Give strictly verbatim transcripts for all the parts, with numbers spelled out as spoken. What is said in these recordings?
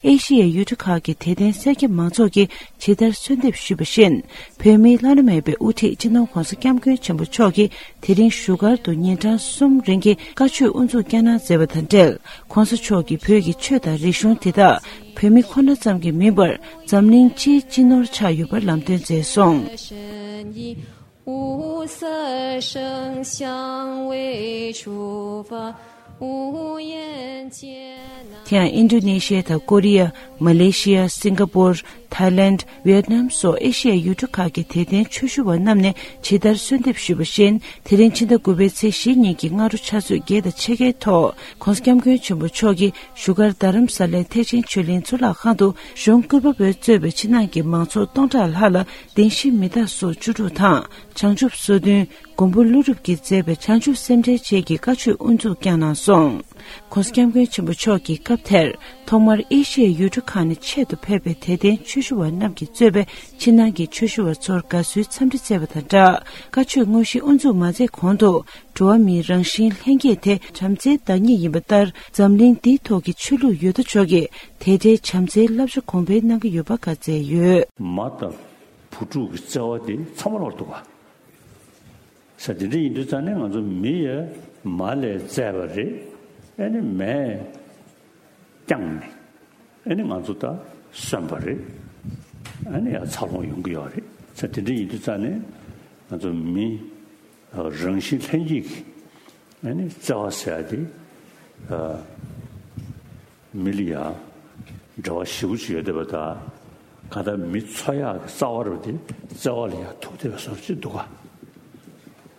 ཨེ་ཤི་ཡའི་ཡུལ་གྲུ་ཁག་གི་དད་ལྡན་སེར་སྐྱ་མང་ཚོགས་ཀྱིས་ཇི་ལྟར་གསོལ་འདེབས་ཞུས་པ་བཞིན། བོད་མིའི་བླ་ན་མེད་པའི་དབུ་ཁྲིད་སྤྱི་ནོར་༸གོང་ས་༸སྐྱབས་མགོན་ཆེན་པོ་མཆོག་གིས་དེ་རིང་བཞུགས་སྒར་དུ་ཉིན་གྲངས་གསུམ་རིང་གི་བཀའ་ཆོས་དབུ་འཛུགས་བསྐྱངས་གནང་མཛད་པ་དང་འབྲེལ། ༸གོང་ས་མཆོག་གིས་བོད་ཀྱི་ཆོས་དང་རིག་གཞུང་དེ་དག་བོད་མི་ཁོ་ན་ཙམ་གྱིས་མིན་པར། འཛམ་གླིང་སྤྱིའི་སྤྱི་ནོར་ཆགས་ཡོད་པར་ལམ་སྟོན་མཛད་སོང་། 五色生香味触发，无言间。 དེ་ཡང་ཨིན་ཌོ་ནེ་ཤི་ཡ་དང་ཀོ་རི་ཡ། མ་ལེ་ཤི་ཡ། སིང་ག་པོར། ཐའི་ལེནཌ། ཝི་ཡེད་ནམ་སོགས་ཨེ་ཤི་ཡའི་ཡུལ་གྲུ་ཁག་གི་དད་ལྡན་ཆོས་ཞུ་བ་རྣམས་ནས་ཇི་ལྟར་གསོལ་འདེབས་ཞུས་པ་བཞིན། དེ་རིང་ཕྱི་ཟླ་དགུ་པའི་ཚེས་བཞི་ཉིན་གྱི་སྔ་དྲོ་ཕྱག་ཚོད་བརྒྱད་དང་ཕྱེད་ཀའི་ཐོག་༸གོང་ས་༸སྐྱབས་མགོན་ཆེན་པོ་མཆོག་གིས་བཞུགས་སྒར་རྡ་རམ་ས་ལའི་ཐེག་ཆེན་ཆོས་གླིང་གཙུག་ལག་ཁང་དུ། གཞུང་བཀུར་པ་པོས་གཙོས་པའི་ཕྱི་ནང་གི་མང་ཚོགས་སྟོང་ཕྲག་ལྷག་ལ་གདན་ཞུའི་མེ་སྟག་སོར་བཅུ་དྲུག་དང་། བྱང་ཆུབ་སོ་བདུན། མགོན་པོ་ཀླུ་སྒྲུབ་ཀྱིས་མཛད་པའི་བྱང་ཆུབ་སེམས་འགྲེལ་བཅས་ཀྱི་བཀའ་ཆོས་དབུ་འཛུགས་བསྐྱངས་གནང་སོང་། ༸གོང་ས་༸སྐྱབས་མགོན་ཆེན་པོ་མཆོག་གིས་སྐབས་དེར། ཐོག་མར་ཨེ་ཤི་ཡའི་ཡུལ་གྲུ་ཁག་ནས་ཆེད་དུ་ཕེབས་པའི་དད་ལྡན་ཆོས་ཞུ་བ་རྣམས་ཀྱིས་གཙོས་པའི་ཕྱི་ནང་གི་ཆོས་ཞུ་བ་ཚོར་དགའ་བསུའི་འཚམས་འདྲི་བསྩལ་བ་དང་སྦྲགས། བཀའ་ཆོས་དངོས་གཞི་དབུ་འཛུགས་མ་མཛད་གོང་དུ། འགྲོ་བ་མིའི་རང་བཞིན་ལྷན་སྐྱེས་དེ་བྱམས་བརྩེའི་བདག་ཉིད་ཡིན་པ་ལྟར། འཛམ་གླིང་འདིའི་ཐོག་གི་ཆོས་ལུགས་ཡོད་དོ་ཅོག་གིས་དེ་འདྲའི་བྱམས་བརྩེའི་བསླབ་བྱ་གོང་འཕེལ་གནང་གི་ཡོད་པ་བཀའ་སྩལ་ཡོད། མ་དང་བུ་ཕྲུག་གི་བརྩེ་བ་དེ་ཚང་མ་ལོག་འདུག་ག་ས་དེ་འདྲ་ཡིན་དུས་ཙང་ནས་ང་ཚོ་མི་ཡ་མ་ལས་བཙས་པ་རེད། ཨ་ནི་མས་བསྐྱངས་ནས། ཨ་ནི་ང་ཚོ་ད་གསོན་པ་རེད། ཨ་ནི་ཡང་འཚར་ལོངས་ཡོང་གི་ཡོད་རེད། ས་དེ་འདྲ་ཡིན་དུས་ཙང་ནས་ང་ཚོ་མི་རང་བཞིན་ལྷན་སྐྱེས་ཀྱི་ཨ་ནི་བརྩེ་བ་ཟེར་ཡ་དེ། མི་ལ་ཡང་འབྲེལ་བ་ཞེ་པོ་ཅིག་ཡོད་བསྡད་པ་དང་། གང་ལྟར་མི་འཚོ་ཡག་གི་རྩ་བ་རུ་དེ་བརྩེ་བ་ལ་ཡང་ཐུག་བསྡད་པའི་བཟོ་འདྲ་ཅིག་འདུག་ག་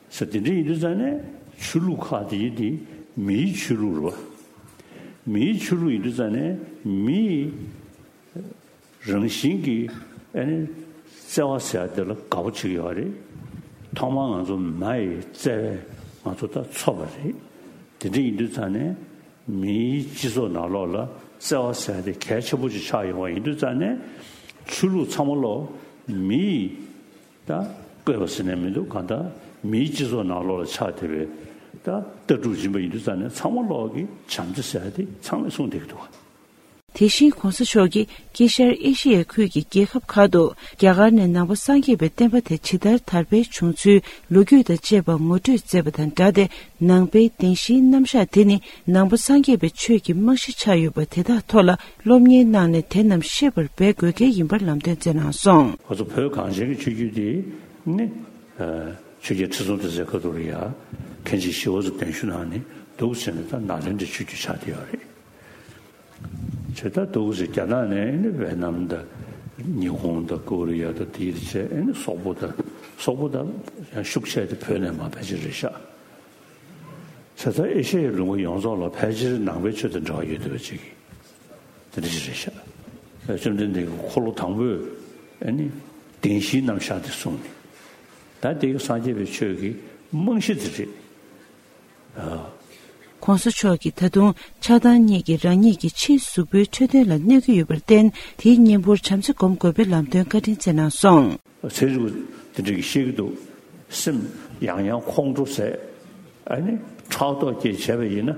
ས་དེ་འདྲ་ཡིན་དུས་ཙང་ནས་ཆོས་ལུགས་ཁག་དེ་ཡིན་དེ་མིའི་ཆོས་ལུགས་རེད་བ། མིའི་ཆོས་ལུགས་ཡིན་དུས་ཙང་ནས་མིའི་རང་བཞིན་གྱི་ཨ་ནི་བརྩེ་བ་ཟེར་ཡ་དེ་ལ་དགའ་པོ་བྱེད་ཀྱི་ཡོད་རེད། ཐོག་མར་ང་ཚོ་མ་ཡི་བརྩེ་བས་ང་ཚོ་ད་འཚོ་བ་རེད། དེ་འདྲ་ཡིན་དུས་ཙང་ནས། མིའི་སྤྱི་ཚོགས་ནང་ལོགས་ལ་བརྩེ་བ་ཟེར་ཡ་དེ་གལ་ཆེན་པོ་ཅིག་ཆགས་ཡོང་བ་ཡིན་དུས་ཙང་ནས། ཆོས་ལུགས་ཚང་མ་ལོག་མིའི་ད་བཀོད་པ་ཟེར་ནས་མི་འདུག་གང་ལྟར་མིའི་སྤྱི་ཚོགས་ནང་ལོགས་ལ་ཆགས་བསྡད་པའི་ད་ལྟ་གྲུབ་ཡིན་པ་ཡིན་དུས་ཙང་ནས་ཚང་མ་ལོག་གི་བྱམས་བརྩེ་ཟེར་ཡ་དེ་ཚང་མས་གསུངས་བསྡད་ཀྱི་འདུག་དེ་བཞིན་༸གོང་ས་མཆོག་གིས་དཀྱིལ་ཤར་ཨེ་ཤི་ཡའི་ཁུལ་གྱི་རྒྱལ་ཁབ་ཁག་ཏུ་རྒྱ་གར་ནས་ནང་པ་སངས་རྒྱས་པའི་བསྟན་པ་དེ་ཇི་ལྟར་དར་འཕེལ་བྱུང་ཚུལ་ལོ་རྒྱུས་དང་བཅས་པ་ངོ་སྤྲོད་མཛད་པ་དང་སྦྲགས་ཏེ། ནང་པའི་བདེན་བཞིའི་རྣམ་གཞག་དེ་ནི་ནང་པ་སངས་རྒྱས་པའི་ཆོས་ཀྱི་རྨང་གཞི་ཆགས་ཡོད་པ་དེ་དག་ཐོག་ལ་སློབ་གཉེར་གནང་ནས་དེ་རྣམས་ཤེས་པར་འབད་དགོས་གལ་ཡིན་པར་ལམ་སྟོན་མཛད་གནང་སོང་། ང་ཚོ་བོད་གངས་ཅན་གྱི་ཆོས་བརྒྱུད་འདི་ནི་ཆོས་རྒྱལ་ཁྲི་སྲོང་ལྡེ་བཙན་སྐབས་དུ་ལ་ཡ་མཁན་ཆེན་ཞི་བ་འཚོ་གདན་ཞུ་གནང་ནས་འདུག་ཟེར་ནས་ད་ནཱ་ལེནྡྲའི་ཆོས་བརྒྱུད་ཆགས་བསྡད་ཡོད་རེད། བྱས་ད་འདུག་ཟེར་རྒྱ་ནག་ནས་ཨེ་ནི་ཝེ་ནམ་དང་ཉི་ཧོང་དང་ཀོ་རི་ཡ་དང་དེའི་རིགས་བྱས་ཨེ་ནི་སོག་པོ་དང་སོག་པོ་དང་ཡང་ཤུགས་ཆེ་དེ་བོད་ནས་མར་ཕལ་ཆེར་རེད་ཤག་བྱས་ད་ཨེ་ཤ་ཡའི་ལུང་པ་ཡོངས་རྫོགས་ལ་ཕལ་ཆེར་ནང་པའི་ཆོས་དང་འབྲེལ་བ་ཡོད་བསྡད་པ་ཅིག་གིས་དེ་འདྲ་ཞིག་རེད་ཤག་བཅོམ་ལྡན་འདས་ཀྱི་འཁོར་ལོ་དང་པོས་ཨེ་ནི་བདེན་བཞིའི་རྣམ་གཞག་དེ་གསུངས་ནས་ད་དེ་གི་སངས་རྒྱས་པའི་ཆོས་ཀྱི་རྨང་གཞི་དེ་རེད། ཨ། ༸གོང་ས་མཆོག་གིས་ད་དུང་ཆགས་སྡང་གཉིས་ཀྱིས་རང་ཉིད་ཀྱི་ཕྱིའི་གཟུགས་པོའི་འཕྲོད་བསྟེན་ལ་གནོད་ཀྱི་ཡོད་པར་བརྟེན། དེའི་གཉེན་པོར་བྱམས་བརྩེ་སྒོམ་དགོས་པའི་ལམ་སྟོན་བཀའ་དྲིན་སྩལ་གནང་སོང་། ཚན་རིག་པ་དེ་འདྲ་གིས་བཤད་ཀྱི་འདུག་སེམས་ཡང་ཡང་ཁོང་ཁྲོ་ཟད། ཨ་ནི་ཕྲག་དོག་སྐྱེས་བྱས་པ་ཡིན་ན།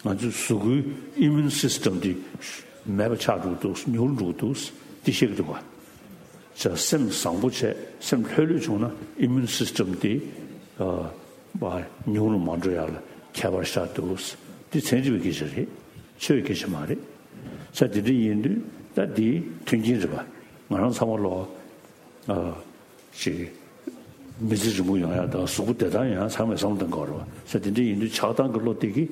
ང་ཚོའི་གཟུགས་པོའི་ཨི་མུན་སིས་ཊམ་དེ་མེད་པ་ཆགས་འགྲོ་གི་འདུག་ཉུང་རུ་འགྲོ་གི་འདུག་དེ་བཤད་ཀྱི་འདུག་བ། ཅག་སེམས་བཟང་པོ་བྱས་སེམས་ལྷོད་ལྷོད་བྱུང་ན་ཨི་མུན་སིས་ཊམ་དེ་ཨ་བ་ཉུང་རུ་མ་འགྲོ་ཡག་ལ་ཁྱད་པར་ཤར་འདུག་དེ་ཚན་རིག་པའི་སྐད་ཆ་རེད། ཆོས་ཀྱི་སྐད་ཆ་མ་རེད། ས་དེ་འདྲ་ཡིན་དུས་ད་དེའི་མཐུན་རྐྱེན་རེད་པ། ང་རང་ཚང་མ་ལོ་ཨ་ཅིག་མི་ཚེ་རིང་པོ་ཡོང་ཡག་དང་གཟུགས་པོ་བདེ་ཐང་ཡོང་ཡག་ཚང་མས་བསམ་བློ་གཏོང་དགོས་རེད་པ། ས་དེ་འདྲ་ཡིན་དུས་ཆགས་སྡང་གི་བློ་དེ་གིས་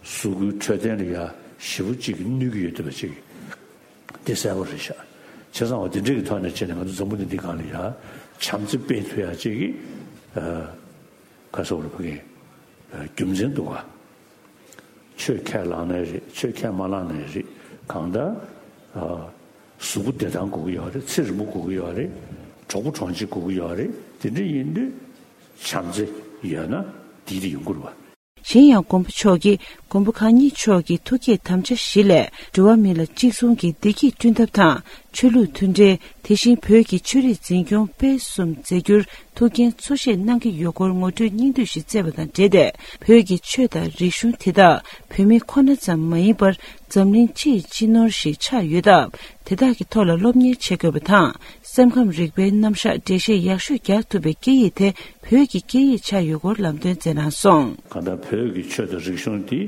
གཟུགས་པོའི་འཕྲོད་བསྟེན་ལ་ཡ་ཞེ་པོ་ཅིག་གནོད་ཀྱི་ཡོད་འདུག་པ་ཅིག་དེ་གསལ་པོ་རེད་ཤག་བྱས་ཙང་བ་དེ་འདྲས་ཀྱི་ཐོག་ནས་བྱས་ནས་ང་ཚོ་འཛམ་བུ་གླིང་འདི་སྒང་ལ་ཡ་བྱམས་བརྩེ་སྤེལ་ཐུབ་ཡག་ཅིག་གི་ཨ་ག་སོགས་རེད་ཕ་གི་རྒྱུ་མཚན་འདུག་ག་ཆོས་ཁས་བླངས་ནའི་རེད། ཆོས་ཁས་མ་བླངས་ནའི་རེད། གང་ལྟར་ཨ་གཟུགས་པོ་བདེ་ཐང་དགོས་ཀྱི་ཡོད་རེད། ཚེ་རིང་པོ་དགོས་ཀྱི་ཡོད་རེད། གྲོགས་པོ་གྲོང་ཁྱེར་དགོས་ཀྱི་ཡོད་རེད། དེ་འདྲ་ཡིན་དུས་བྱམས་བརྩེ་ཡོད་ན་དེ་དེ་ཡོང་གི་རེད་པ། གཞན་ཡང་མགོན་པོ་མཆོག་གིས་མགོན་པོ་གང་ཉིད་མཆོག་གི་ཐུགས་བསྐྱེད་དམ་བཅའ་བཞི་ལས། འགྲོ་བ་མི་ལ་གཅིག་མཚུངས་ཀྱི་བདེ་སྐྱིད་བསྐྲུན་ཐབས་དང་། ཆོས་ལུགས་མཐུན་འབྲེལ། དེ་བཞིན་བོད་ཀྱི་ཆོས་རིག་འཛིན་སྐྱོང་སྤེལ་གསུམ་མཛད་རྒྱུར་ཐུགས་འགན་གཙོ་བཞེས་གནང་གི་ཡོད་སྐོར་ངོ་སྤྲོད་སྙིང་བསྡུས་ཤིག་བསྩལ་བ་དང་འབྲེལ་ཏེ། བོད་ཀྱི་ཆོས་དང་རིག་གཞུང་དེ་དག་བོད་མི་ཁོ་ན་ཙམ་མ་ཡིན་པར། འཛམ་གླིང་སྤྱི་ཡི་སྤྱི་ནོར་ཞིག་ཆགས་ཡོད་སྟབས། དེ་དག་གི་ཐོག་ལ་སློབ་གཉེར་བྱེད་དགོས་པ་དང་། སེམས་ཁམས་རིག་པའི་རྣམ་གཞག་འགྲེལ་བཤད་ཡག་ཤོས་རྒྱག་ཐུབ་པའི་སྐད་ཡིག་དེ་བོད་ཀྱི་སྐད་ཡིག་ཆགས་ཡོད་སྐོར་ལམ་སྟོན་མཛད་གནང་སོང་། གང་ལྟར་བོད་ཀྱི་ཆོས་དང་རིག་གཞུང་དེ་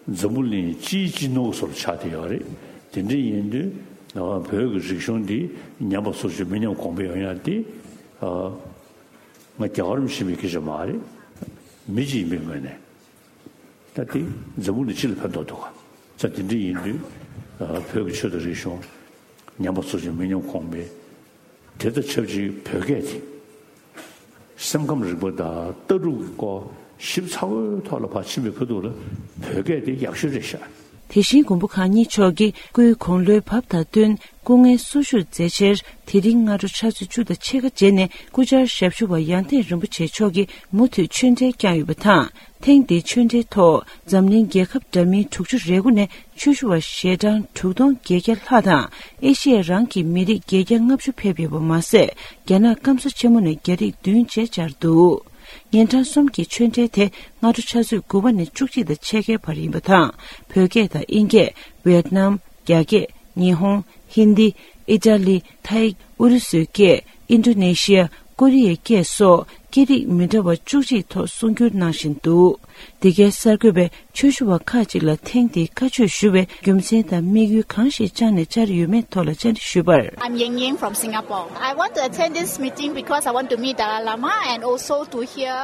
འཛམ་བུ་གླིང་སྤྱིའི་སྤྱི་ནོར་བཟོ་འདྲ་ཆགས་བསྡད་ཡོད་རེད། དེ་འདྲ་ཡིན་དུས་བོད་ཀྱི་རིག་གཞུང་འདི་ཉམས་པ་སོར་ཆུད་མི་ཉམས་གོང་འཕེལ་ཡོང་ཡ་དེ་ང་རྒྱལ་བ་རིན་པོ་ཆེ་མི་སྐད་ཆ་མ་རེད། མི་གཅིག་ཡིན་པའི་ངོས་ནས། ད་དེ་འཛམ་བུ་གླིང་སྤྱི་ལ་ཕན་ཐོགས་འདུག་ག་ཙ་དེ་འདྲ་ཡིན་དུས་བོད་ཀྱི་ཆོས་དང་རིག་གཞུང་ཉམས་པ་སོར་ཆུད་མི་ཉམས་གོང་འཕེལ། དེ་དང་ཆབས་ཅིག་བོད་སྐད་དེ་སེམས་ཁམས་རིག་པ་དང་ལྟ་གྲུབ་ཀྱི་སྐོར་ཞིབ་ཚགས་པོའི་ཐོག་ལ་ཕར་ཕྱིན་པའི་ཁ་ཐུག་ལ་བོད་སྐད་དེ་ཡག་ཤོས་རེད་ཤག་དེ་བཞིན་མགོན་པོ་གང་ཉིད་མཆོག་གིས་སྐུའི་དགུང་ལོའི་བབ་དང་བསྟུན་སྐུ་ངལ་གསོ་བཞུགས་མཛད་ཕྱིར། དེ་རིང་སྔ་དྲོ་ཕྱག་ཚོད་བཅུ་དང་ཕྱེད་ཀ་རྗེས་ནས་སྐུ་བཅར་ཞབས་ཞུ་བ་ཡང་ཐེངས་རིན་པོ་ཆེ་མཆོག་གིས་མུ་མཐུད་ཆོས་འབྲེལ་བསྐྱངས་ཡོད་པ་དང་། ཐེངས་འདིའི་ཆོས་འབྲེལ་ཐོག་འཛམ་གླིང་རྒྱལ་ཁབ་འདྲ་མིན་དྲུག་ཅུ་རེ་དགུ་ནས་ཆོས་ཞུ་བ་ཞལ་གྲངས་དྲུག་སྟོང་བརྒྱད་བརྒྱ་ལྷག་དང་། ཨེ་ཤི་ཡ་རང་གི་མི་རིགས་བརྒྱད་བརྒྱ་ལྔ་བཅུ་ཕེབས་ཡོད་པ་མ་ཟད། རྒྱ་ནག་སྐམ་ས་ཆེན་མོ་ནས་རྒྱ་རིགས་བདུན་བཅས་བཅར་འདུག་ཉིན་གྲངས་གསུམ་གྱི་ཆོས་འབྲེལ་དེ་སྔ་དྲོ་ཆུ་ཚོད་དགུ་པ་ནས་བཅུ་གཅིག་དང་ཕྱེད་ཀའི་བར་ཡིན་པ་དང་། བོད་སྐད་དང་དབྱིན་སྐད། ཝེད་ནམ། རྒྱ་སྐད། ཉི་ཧོང་། ཧིན་དི། ཨི་ཏྲ་ལི། ཐའི། ཨུ་རུ་སུའི་སྐད། ཨིན་ཌོ་ནེ་ཤི་ཡ། ཀོ་རི་ཡའི་སྐད་སོགས་སྐད་རིགས་མི་འདྲ་བ་བཅུ་གཅིག་ཐོག་གསུང་སྒྱུར་གནང་བཞིན་འདུག་འདི་གའི་གསར་འགོད་པས་ཆོས་ཞུ་བ་ཁག་ཅིག་ལ་ཐེངས་འདིའི་བཀའ་ཆོས་ཞུ་བའི་རྒྱུ་མཚན་དང་དམིགས་ཡུལ་གང་ཞིག་བཅངས་ནས་བཅར་ཡོད་མེད་ཐོག་ལ་བཅར་འདྲི་ཞུས་པར། I'm Yang Yang from Singapore. I want to attend this meeting because I want to meet Dalai Lama and also to hear,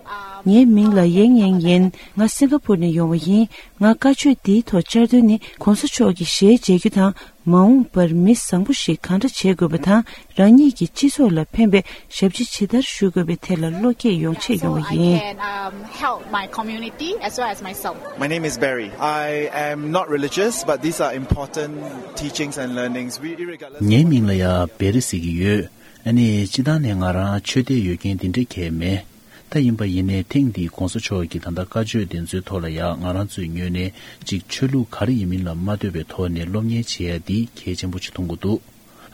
um, ཡེང་མིང་ལ་ཡེང་ཡེང་ཡིན། ང་སིང་ག་པུར་ནས་ཡོང་བ་ཡིན། ང་བཀའ་ཆོས་འདིའི་ཐོག་བཅར་དོན་ནི་༸གོང་ས་མཆོག་གི་ཞལ་མཇལ་རྒྱུ་དང་། མ་འོངས་པར་མི་བཟང་པོ་ཞིག་གང་འདྲ་བྱེད་དགོས་པ་དང་། རང་ཉིད་ཀྱི་སྤྱི་ཚོགས་ལ་ཕན་པའི་ཞབས་ཕྱི་ཇི་ལྟར་ཞུ་དགོས་པའི་ཐད་ལ་བློ་སྐྱེད་ཡོང་ཆེད་ཡོང་བ་ཡིན། So I can, um, help my community as well as myself. My name is Barry. I am not religious, but these are important teachings and learnings. We, irregardless of ངའི་མིང་ལ་ཡ་བེ་རི་ཟེར་གྱི་ཡོད། ཨ་ནི་སྤྱི་བཏང་ནས་ང་རང་ཆོས་དད་ཡོད་མཁན་དེ་འདྲ་གང་ཡང་མེད། ད་ཡིན་པ་ཡིན་ནའི་ཐེངས་འདིའི་༸གོང་ས་མཆོག་གི་ད་ལྟ་བཀའ་ཆོས་དེ་ཚོའི་ཐོག་ལ་ཡང་ང་རང་ཚོའི་ངོས་ནས་ཅིག་ཆོས་ལུགས་ག་རེ་ཡིན་མིན་ལ་མ་ལྟོས་པའི་ཐོག་ནས་སློབ་གཉེར་བྱེད་ཡ་འདི་གལ་ཆེན་པོ་ཅིག་མཐོང་གི་འདུག་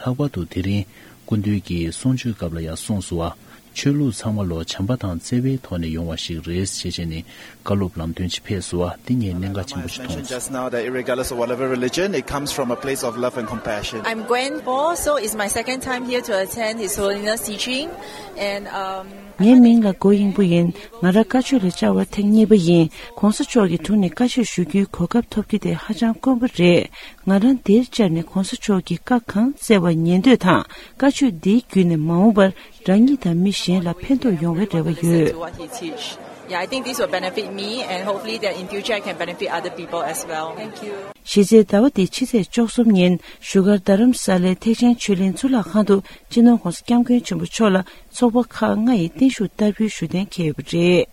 ལྷག་པར་དུ་དེ་རིང་སྐུ་མདུན་གྱིས་གསུང་ཆོས་སྐབས་ལ་ཡང་གསུངས་སོང་བ། ཆོས་ལུགས་ཚང་མ་ལོ་བྱམས་པ་དང་བརྩེ་བའི་ཐོག་ནས་ཡོང་བ་ཞིག་རེད་ཅེས་བྱས་ནས་བཀའ་སློབ་ལམ་སྟོན་ཅིག་ཕེབས་སོང་བ་འདི་ངས་གནད་འགག་ཆེན་པོ་ཞིག་མཐོང་སོང་། Mentioned just now that irregardless of whatever religion, it comes from a place of love and compassion. I'm Gwen Bo, so it's my second time here to attend His Holiness teaching, and, um, ངའི་མིང་ལ་གོ་དབྱིངས་པོ་ཡིན། ང་རང་བཀའ་ཆོས་ལ་བཅར་བ་ཐེངས་གཉིས་པ་ཡིན། ༸གོང་ས་མཆོག་གི་དྲུང་ནས་བཀའ་ཆོས་ཞུ་རྒྱུའི་གོ་སྐབས་ཐོབ་རྒྱུ་དེ་ཧ་ཅང་དཀོན་པོ་རེད། ང་རང་འདིར་བཅར་ནས་༸གོང་ས་མཆོག་གིས་བཀའ་གང་སྩལ་བ་ཉན་འདོད་དང་། བཀའ་ཆོས་འདིའི་བརྒྱུད་ནས་མ་འོངས་པར་རང་ཉིད་དང་མི་གཞན་ལ་ཕན་ཐོགས་ཡོང་བའི་རེ་བ་ཡོད། Listen to what he teach. Yeah, I think this will benefit me, and hopefully that in future I can benefit other people as well. Thank you. གཞི་རྩའི་ཟླ་བ་འདིའི་ཕྱི་ཚེས་བཅུ་གསུམ་ཉིན་བཞུགས་སྒར་རྡ་རམ་ས་ལའི་ཐེག་ཆེན་ཆོས་གླིང་གཙུག་ལག་ཁང་དུ་སྤྱི་ནོར་༸གོང་ས་༸སྐྱབས་མགོན་ཆེན་པོ་མཆོག་ལ་ཚོགས་པ་ཁག་ལྔ་ཡི་བརྟན་བཞུགས་བསྟར་འབུལ་ཞུ་གཏན་འཁེལ་ཡོད་པ་རེད།